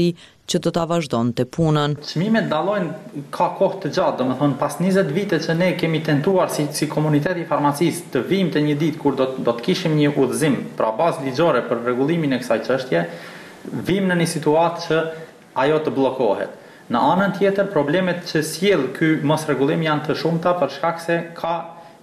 ri që do ta vazhdonte punën. Çmimet dallojnë ka kohë të gjatë, domethënë pas 20 vite që ne kemi tentuar si si komunitet i farmacisë të vijmë te një ditë kur do do të kishim një udhëzim, pra bazë ligjore për rregullimin e kësaj çështje, vijmë në një situatë që ajo të bllokohet. Në anën tjetër, problemet që sjell ky mosrregullim janë të shumta për shkak se ka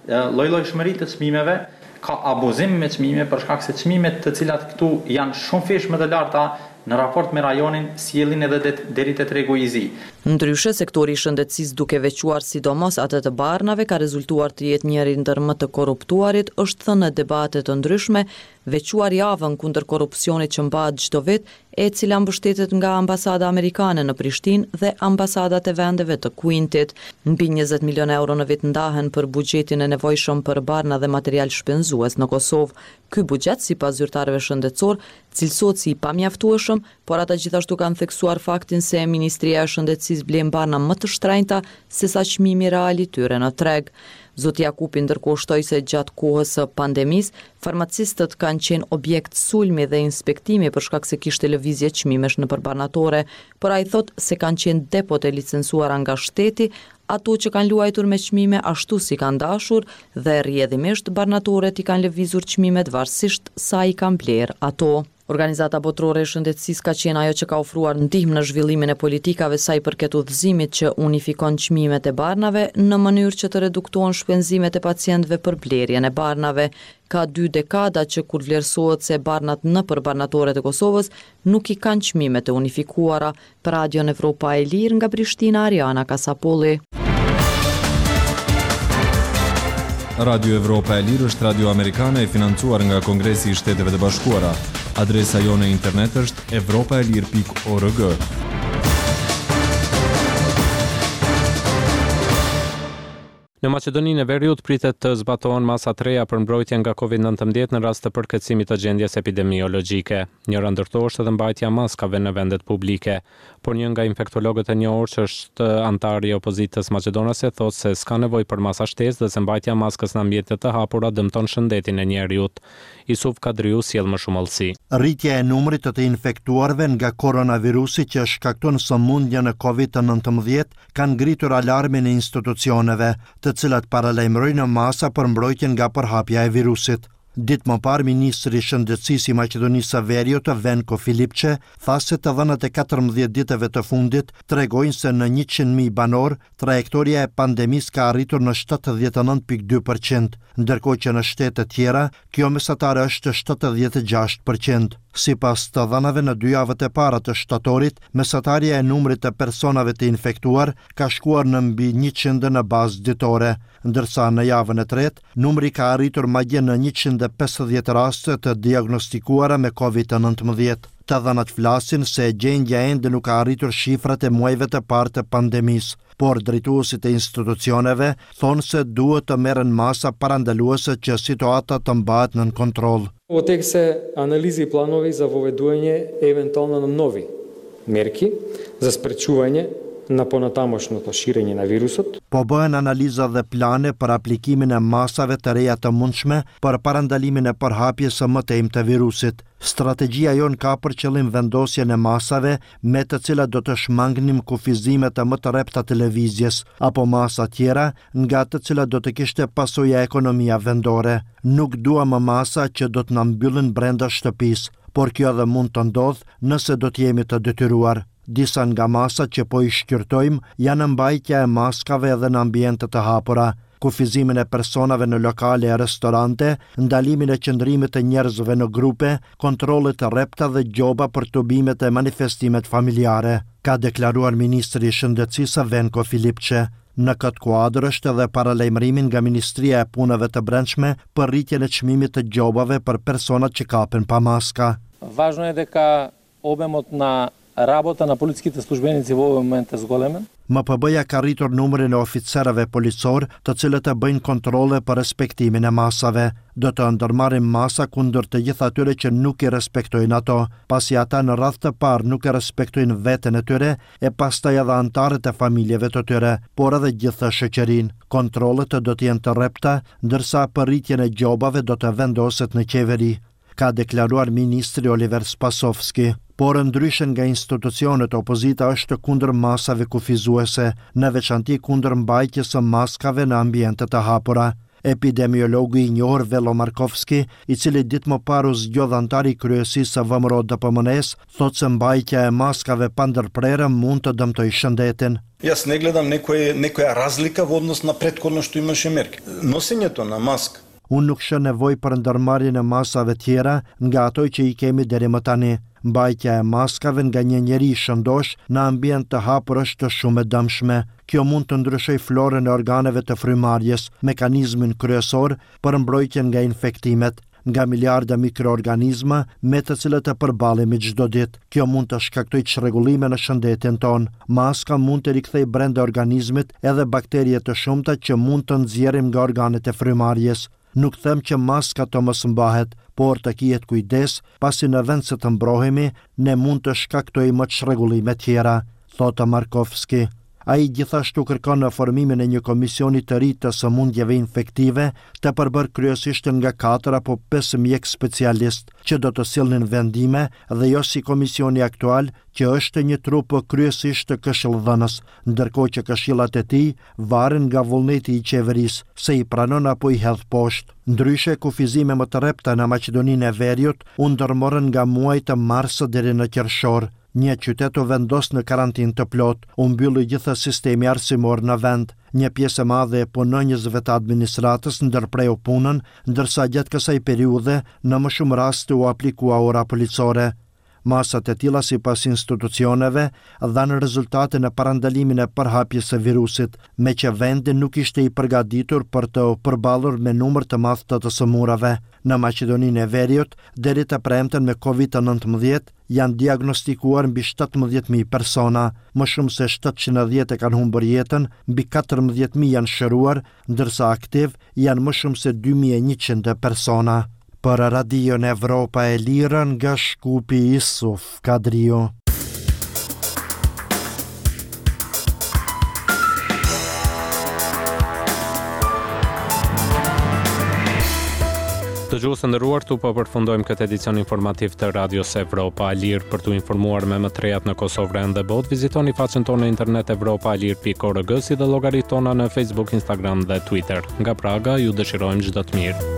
llojllojshmëri të çmimeve, ka abuzim me çmime për shkak se çmimet të cilat këtu janë shumëfish më të larta në raport me rajonin sjellin edhe deri te tregu i zi. Ndryshe, sektori i shëndetësisë duke veçuar sidomos atë të barnave ka rezultuar të jetë njëri ndër më të korruptuarit, është thënë në debate të ndryshme, veçuar javën kundër korrupsionit që mbahet çdo vit, e cila mbështetet nga Ambasada Amerikane në Prishtinë dhe ambasadat e vendeve të Quintit. Mbi 20 milionë euro në vit ndahen për buxhetin e nevojshëm për barna dhe material shpenzues në Kosovë. Ky buxhet, sipas zyrtarëve shëndetësorë, cilësohet si i pamjaftueshëm, por ata gjithashtu kanë theksuar faktin se Ministria e Shëndetësisë blen barna më të shtrenjta sesa çmimi real i tyre në treg. Zoti Jakupi ndërkohë shtoi se gjatë kohës së pandemisë, farmacistët kanë qenë objekt sulmi dhe inspektimi për shkak se kishte lëvizje çmimesh nëpër barnatore, por ai thotë se kanë qenë depot e licencuara nga shteti ato që kanë luajtur me çmime ashtu si kanë dashur dhe rrjedhimisht barnatoret i kanë lëvizur çmimet varësisht sa i kanë blerë ato. Organizata Botërore e Shëndetësisë ka qenë ajo që ka ofruar ndihmë në zhvillimin e politikave sa i përket udhëzimit që unifikon çmimet e barnave në mënyrë që të reduktohen shpenzimet e pacientëve për blerjen e barnave. Ka dy dekada që kur vlerësohet se barnat nëpër barnatoret e Kosovës nuk i kanë çmimet e unifikuara, Për Radion Evropa e Lirë nga Prishtina, Ariana Kasapolli. Radio Evropa e Lirë është radio amerikane e financuar nga Kongresi i Shteteve të Bashkuara. Adresa jonë e internet është evropaelire.org. Në Maqedoninë e Veriut pritet të zbatohen masa të reja për mbrojtje nga Covid 19 në rast të përkeqësimit të gjendjes epidemiologjike. Njëra ndër to është edhe mbajtja e maskave në vendet publike. Por një nga infektologët e njohur që është anëtar i opozitës maqedonase thotë se s'ka nevojë për masa shtesë dhe se mbajtja e maskës në ambiente të hapura dëmton shëndetin e njeriut. Isuf Kadriu sjell më shumë hollësi. Rritja e numrit të të infektuarve nga koronavirusi që shkakton sëmundjen e Covid 19 kanë ngritur alarmin e institucioneve, të cilat paralajmërojnë masa për mbrojtjen nga përhapja e virusit. Ditë më parë, ministri i Shëndetësisë i Maqedonisë së Veriut, Venko Filipçe, tha se të dhënat e 14 ditëve të fundit tregojnë se në 100.000 banorë, trajektoria e pandemisë ka arritur në 79.2 për qind, ndërkohë që në shtete tjera, Kjo mesatare është 76 për qind. Sipas të dhënave në dy javët e para të shtatorit, mesatarja e numrit të personave të infektuar ka shkuar në mbi 100 në bazë ditore, ndërsa në javën e tretë, numri ka arritur madje në 150 raste të diagnostikuara me COVID-19. Të dhënat flasin se gjendja ende nuk ka arritur shifrat e muajve të parë të pandemisë. Por drejtuesit e institucioneve thonë se duhet të merren masa parandaluese që situata të mbahet nën kontroll. Во тек се анализи и планови за воведување евентуално на нови мерки за спречување на понатамошното ширење на вирусот. Po bëhen analiza dhe plane për aplikimin e masave të reja të mundshme për parandalimin e përhapjes së mëtejmë të virusit. Strategjia jonë ka për qëllim vendosjen e masave me të cilat do të shmangnim kufizimet më të rrepta të lëvizjes, apo masa tjera, nga të cilat do të kishte pasoja ekonomia vendore. Nuk duam masa që do të na mbyllin brenda shtëpisë, por kjo edhe mund të ndodhë nëse do të jemi të detyruar. Disa nga masat që po i shqyrtojmë janë mbajtja e maskave edhe në ambiente të hapura, kufizimin e personave në lokale e restorante, ndalimin e qëndrimit të njerëzve në grupe, kontrolle të rrepta dhe gjoba për tubimet e manifestimet familjare, ka deklaruar ministri i Shëndetësisë Venko Filipçe. Në këtë kuadër është edhe paralajmërimi nga Ministria e Punëve të Brendshme për rritjen e çmimit të gjobave për personat që kapen pa maska. Важно е дека Обемот на работа на полициските службеници во овој момент е зголемен. MPB-ja ka rritur numrin e oficerëve policorë, të cilët bëjnë kontrolle për respektimin e masave. Do të ndërmarrim masa kundër të gjithë atyre që nuk i respektojnë ato, pasi ata në radhë të parë nuk e respektojnë veten e tyre e pastaj edhe anëtarët e familjeve të tyre, por edhe gjithë shoqërinë. Kontrollet do të jenë të rrepta, ndërsa për rritjen e gjobave do të vendoset në qeveri. ka deklaruar ministri Oliver Spasovski. Por ndryshe nga institucionet, opozita është kundër masave kufizuese, në veçanti kundër mbajtjes së maskave në ambiente të hapura. Epidemiologu i njohur Vello Markovski, i cili ditë më parë u zgjodh anëtar i kryesisë së VMRO-DPMNE-së, thotë se mbajtja e maskave pandërprerë mund të dëmtojë shëndetin. Јас не гледам некој, некоја разлика во однос на претходно што имаше мерки. Носењето на маска Unë nuk shoh nevojë për ndërmarrjen e masave tjera nga ato që i kemi deri më tani. Mbajtja e maskave nga një njeri i shëndoshë në ambient të hapur është shumë e dëmshme. Kjo mund të ndryshojë florën e organeve të frymëmarrjes, mekanizmin kryesor për mbrojtjen nga infektimet, nga miliarda mikroorganizma me të cilët përballemi çdo ditë. Kjo mund të shkaktojë çrregullime në shëndetin tonë. Maska mund të rikthejë brenda organizmit edhe bakterie të shumta që mund të nxjerrim nga organet e frymëmarrjes. Nuk them që maska të mos mbahet, por të kihet kujdes, pasi në vend se të mbrohemi, ne mund të shkaktojmë çrregullime tjera, thotë Markovski. Ai gjithashtu kërkon në formimin e një komisioni të ri të sëmundjeve infektive, të përbërë kryesisht nga katër apo pesë mjekë specialistë, që do të sillnin vendime dhe jo si komisioni aktual që është një trup kryesisht këshillëdhënës, ndërkohë që këshillat e tij varen nga vullneti i qeverisë, se i pranon apo i hedh poshtë. Ndryshe, kufizime më të rrepta në Maqedoninë e Veriut u ndërmorën nga muajt mars deri në qershor. Një qytet u vendos në karantinë të plotë, u mbyll i gjithë sistemi arsimor në vend. Një pjesë e madhe e punonjësve të administratës ndërpreu punën, ndërsa gjatë kësaj periudhe në më shumë raste u aplikua ora policore. Masat e tilla sipas institucioneve dhanë rezultate në parandalimin e përhapjes së virusit, meqë vendi nuk ishte i përgatitur për të përballur me numër të madh të të sëmurave. Në Maqedoninë e Veriut, deri të premten me Covid-19 janë diagnostikuar mbi 17.000 persona, më shumë se 710 e kanë humbur jetën, mbi 14.000 janë shëruar, ndërsa aktiv janë më shumë se 2100 persona. Për Radion Evropa e Lirë nga Shkupi Isuf Kadriu. Dëgjues të nderuar, këtu po përfundojmë këtë edicion informativ të Radios Evropa e Lirë. Për t'u informuar me më të rejat në Kosovë, rajon dhe botë, vizitoni faqen tonë në internet evropaelire.org si dhe llogaritë tona në Facebook, Instagram dhe Twitter. Nga Praga, ju dëshirojmë çdo të mirë.